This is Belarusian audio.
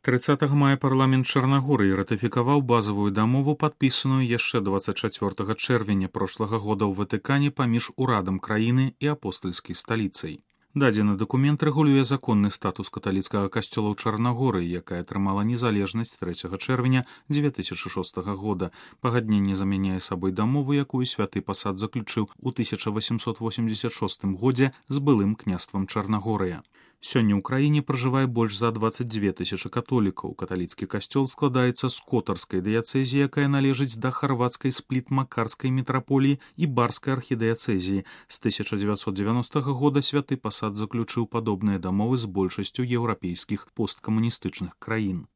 30 мая парламент Чарнагорыі ратыфікаваў базавую дамову, падпісаную яшчэ 24 чэрвеня прошлага года ў Ватыкане паміж урадам краіны і апостальскай сталіцай. Дадзены дакумент рэгулюе законны статус каталіцкага касцёла ў Чарнагорыі, якая атрымала незалежнасць 3 чэрвеня 2006 года. Пагадненне замяняе сабой дамову, якую святы пасад заключыў у 1886 годзе з былым княствам Чарнагорыя. Сёння ў краіне пражывае больш за 22 тысячы католікаў. Каталіцкі касцёл складаецца з котарскай дыяцэзіі, якая належыць да харвацкай спліт-макарскай мітраполіі і барскай архідыяцэзіі. З 1990 года святы пасад заключыў падобныя дамовы з большасцю еўрапейскіх посткамуністычных краін.